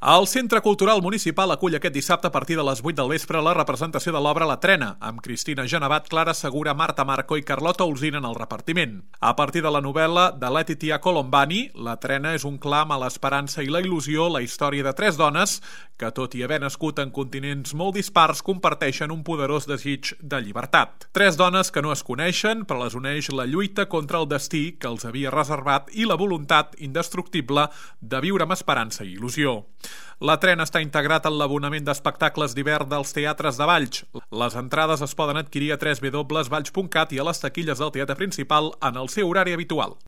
El Centre Cultural Municipal acull aquest dissabte a partir de les 8 del vespre la representació de l'obra La Trena, amb Cristina Genevat, Clara Segura, Marta Marco i Carlota Olzina en el repartiment. A partir de la novel·la de Letitia Colombani, La Trena és un clam a l'esperança i la il·lusió, la història de tres dones que, tot i haver nascut en continents molt dispars, comparteixen un poderós desig de llibertat. Tres dones que no es coneixen, però les uneix la lluita contra el destí que els havia reservat i la voluntat indestructible de viure amb esperança i il·lusió. La Trena està integrat en l'abonament d'espectacles d'hivern dels teatres de Valls. Les entrades es poden adquirir a www.valls.cat i a les taquilles del teatre principal en el seu horari habitual.